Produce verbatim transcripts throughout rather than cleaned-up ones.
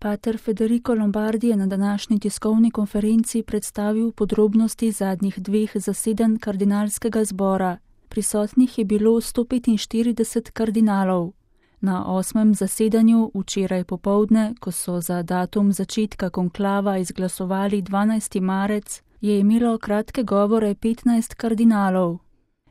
Pater Federico Lombardi je na današnji tiskovni konferenci predstavil podrobnosti zadnjih dveh zasedanj kardinalskega zbora. Prisotnih je bilo sto petinštirideset kardinalov. Na osmem zasedanju včeraj popoldne, ko so za datum začetka konklava izglasovali dvanajsti marec, je imelo kratke govore petnajst kardinalov.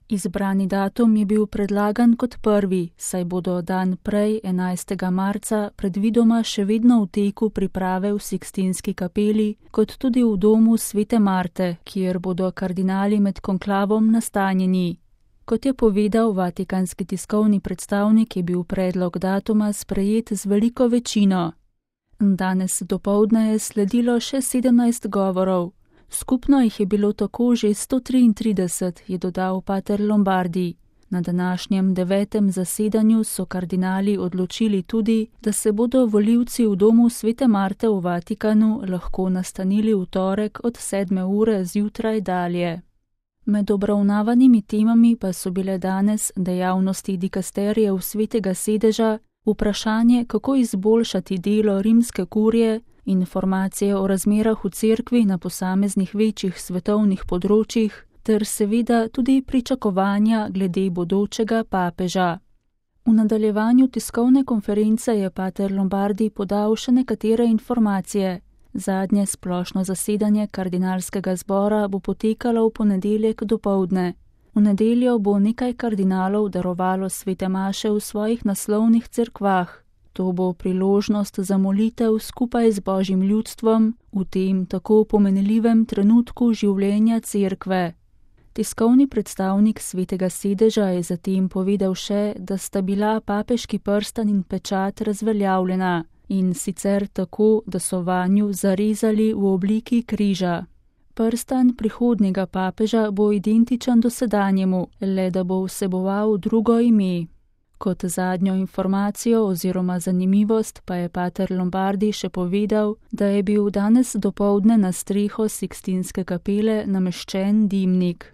Izbrani datum je bil predlagan kot prvi, saj bodo dan prej, enajstega marca, predvidoma še vedno v teku priprave v Sikstinski kapeli, kot tudi v domu svete Marte, kjer bodo kardinali med konklavom nastanjeni. Kot je povedal vatikanski tiskovni predstavnik, je bil predlog datuma sprejet z veliko večino. Danes dopoldne je sledilo še sedemnajst govorov. Skupno jih je bilo tako že sto triintrideset, je dodal pater Lombardi. Na današnjem devetem zasedanju so kardinali odločili tudi, da se bodo volivci v domu svete Marte v Vatikanu lahko nastanili v torek od sedme ure zjutraj dalje. Med obravnavanimi temami pa so bile danes dejavnosti dikasterijev svetega sedeža, vprašanje, kako izboljšati delo rimske kurije, informacije o razmerah v cerkvi na posameznih večjih svetovnih področjih ter seveda tudi pričakovanja glede bodočega papeža. V nadaljevanju tiskovne konference je pater Lombardi podal še nekatere informacije. Zadnje splošno zasedanje kardinalskega zbora bo potekalo v ponedeljek dopoldne. V nedeljo bo nekaj kardinalov darovalo svete maše v svojih naslovnih cerkvah. To bo priložnost za molitev skupaj z Božjim ljudstvom v tem tako pomenljivem trenutku življenja cerkve. Tiskovni predstavnik svetega sedeža je zatem povedal še, da sta bila papeški prstan in pečat razveljavljena, in sicer tako, da so vanju zarezali v obliki križa. Prstan prihodnjega papeža bo identičen dosedanjemu, le da bo vseboval drugo ime. Kot zadnjo informacijo oziroma zanimivost pa je pater Lombardi še povedal, da je bil danes dopoldne na streho Sikstinske kapele nameščen dimnik.